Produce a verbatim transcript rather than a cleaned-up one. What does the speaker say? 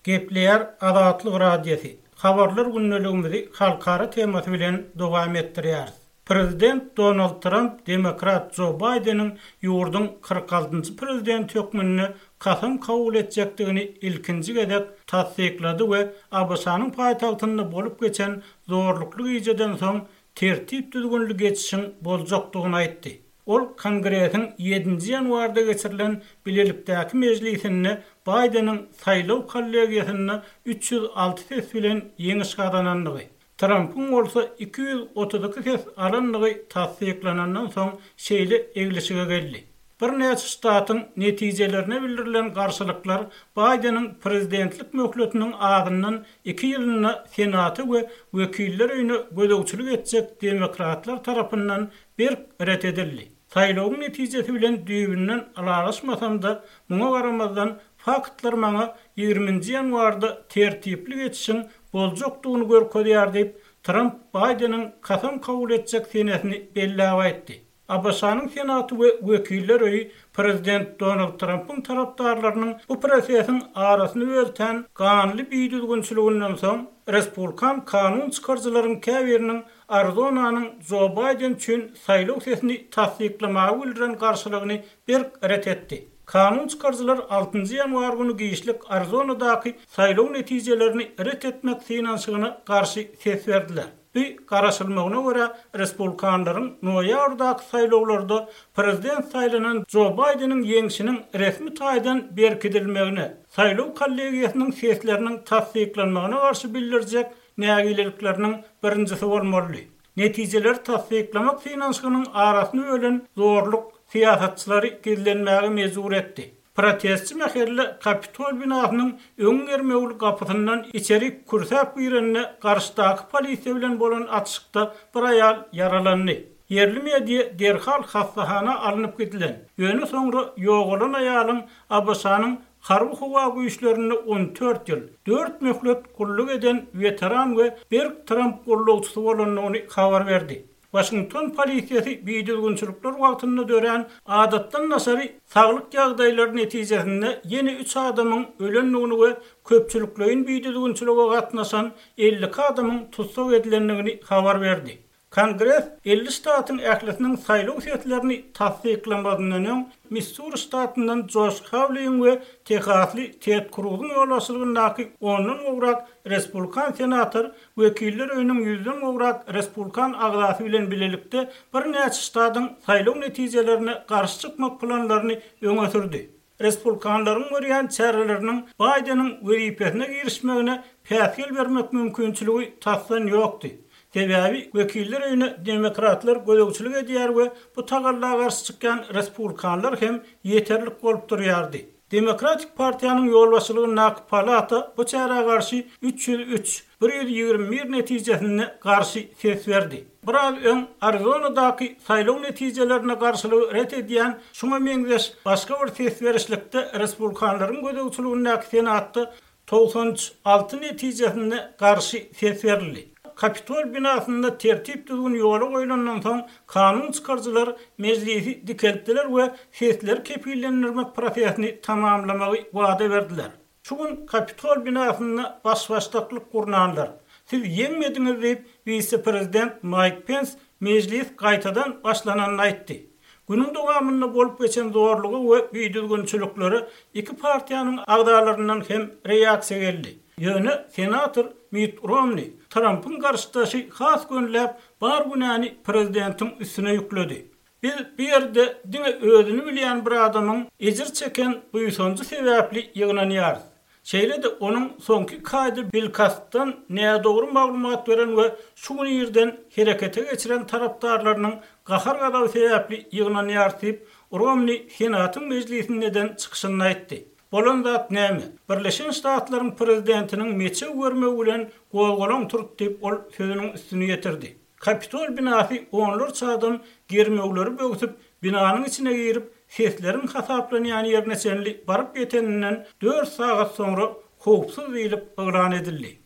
Gepleýär Azatlyk Radiosy. Habarlar gündeligimizi halkara temasy bilen dowam etdirýäris. Prezident Donald Tramp demokrat Jo Baýdeniň ýurduň kyrk altynjy prezidenti hökmünde kasam kabul etjekdigini ilkinji gezek tassyklady we A B Ş-nyň paýtagtynda bolup geçen zorlukly gijeden soň tertip-düzgünli geçişiň boljakdygyny aýtdy. Ol Kongresiň ýedinji ýanwarda geçirilen bilelikdäki mejlisinde Baýdeniň saýlaw kollegiýasynda üç ýüz alty ses bilen ýeňiş gazanandygy, Trampyň bolsa iki ýüz otuz iki ses alandygy tassyklanandan soň şeýle eglişige geldi. Birnäçe ştatyň netijelerine bildirilen garşylyklar Baýdeniň prezidentlik möhletiniň azyndan iki ýylynda Senaty we Wekiller öýüne gözegçilik etjek demokratlar tarapyndan berk ret edildi. Saýlawyň netijesi bilen düýbünden ylalaşmasam-da, muňa garamazdan faktlar maňa ýigriminji ýanwarda tertipli geçişiň boljakdygyny görkezýär diýip, Tramp Baýdeniň kasam kabul etjek senesini belläp aýtdy. A B Ş-nyň Senaty we Wekiller öýi prezident Donald Trampyň tarapdarlarynyň bu prosesiň arasyny bölten ganly bidüzgünçiliginden soň respublikan kanun çykaryjylaryň käbiriniň Arizonanyň Jo Baýden üçin saýlaw sesini tassyklamaga bildiren garşylygyny berk ret etdi. Kanun çykaryjylar altynjy ýanwar güni giçlik Arizonadaky saýlaw netijelerini ret etmek synanyşygyna garşy ses berdiler. Bu garaşylmagyna görä respublikanlaryň noýabrdaky saýlawlarda prezident saýlanan Jo Baýdeniň ýeňşiniň resmi taýdan berkidilmegine, saýlaw kollegiýasynyň sesleriniň tassyklanmagyna garşy bildirjek nägilelikleriniň birinjisi bolmalydy. Netijeleri tassyklamak synanyşygynyň arasyny bölen zorluk syýasatçylary gizlenmäge mejbur etdi. Protestçi mähelle Kapitol binasynyň öň germewli gapysyndan içeri kürsäp girende garşydaky polisiýa bilen bolan atyşykda bir aýal ýaralandy. Ýerli media derhal hassahana alnyp gidilen. Ýöne soňra ýogalan aýalyň A B Ş-nyň harby howa güýçlerinde on dört ýyl, dört möhlet gulluk eden weteran we berk Tramp gullukçysy bolandygyny habar berdi. Washington polisiýasy bidüzgünçilikler wagtynda dörän adatdan daşary saglyk ýagdaýlary netijesinde ýene üç adamyň ölendigini we köpçülikleýin bidüzgünçilige gatnaşan elli iki adamyň tussag edilendigini habar berdi. Kongres elli ştatyň ählisiniň saýlaw seslerini tassyklamazyndan öň Missuri ştatyndan Joş Hawliň we Tehasly Ted Kruzyň ýolbaşçylygyndaky ondan gowrak respublikan senator Wekiller öýüniň ýüzden gowrak respublikan agzasy bilen bilelikde birnäçe ştatyň saýlaw netijelerine garşy çykmak planlaryny öňe sürdi. Respublikanlaryň görýän çäreleriniň Baýdeniň wezipesine girişmegine päsgel bermek mümkinçiligi tasdan ýokdy. Sebäbi Wekiller öýüne demokratlar gözegçilik edýär we bu tagalla garşy çykýan respublikanlar hem ýeterlik bolup durýardy. Demokratik partiýanyň ýolbaşçylygyndaky palata bu çärä garşy üç ýüz üç, bir ýüz ýigrimi bir netijesinde garşy ses berdi. Biraz öň Arizonadaky saýlaw netijelerine garşylygy ret edýän şuňa meňzeş başga bir ses berişlikde respublikanlaryň gözegçiligindäki Senatda togsan alty netijesinde garşy ses berildi. Kapitol binasynda tertip düzgün ýola goýlandan soň kanun çykaryjylar mejlisi dikeltdiler we sesleri kepillendirmek prosesini tamamlamagy wada berdiler. Şu gün Kapitol binasynda baş-başdaklyk gurnanlar, siz ýeňmediňiz diýip, wise-prezident Mike Pence mejlis gaýtadan başlananyny aýtdy. Günüň dowamynda bolup geçen zorlugy we bidüzgünçiliklere iki partiýanyň agzalaryndan hem reaksiýa geldi. Ýöne senator Mitt Romney Trumpyň garşydaşy has gönüläp bar günäni prezidentiň üstüne ýükledi. Biz bu ýerde diňe özüni bilýän bir adamyň ejir çeken buýsanjy sebäpli ýygnanýarys. Şeýle-de onuň soňky iki aýda bilkastdan nädogry maglumat beren we şu gün irden herekete geçiren tarapdarlarynyň gahar-gazaby sebäpli ýygnanýarys diýip, Romney Senatyň mejlisinde eden çykyşynda aýtdy. Bolan zat näme? Birleşen Ştatlaryň prezidentiniň meçew bermegi bilen gozgalaň turdy diýip, ol sözüniň üstüni ýetirdi. Kapitol binasy onlarça adam germewleri böwsüp, binanyň içine girip, sesleriň hasaplanýan ýerine çenli baryp ýeteninden dört sagat soňra howpsuz diýlip yglan edildi.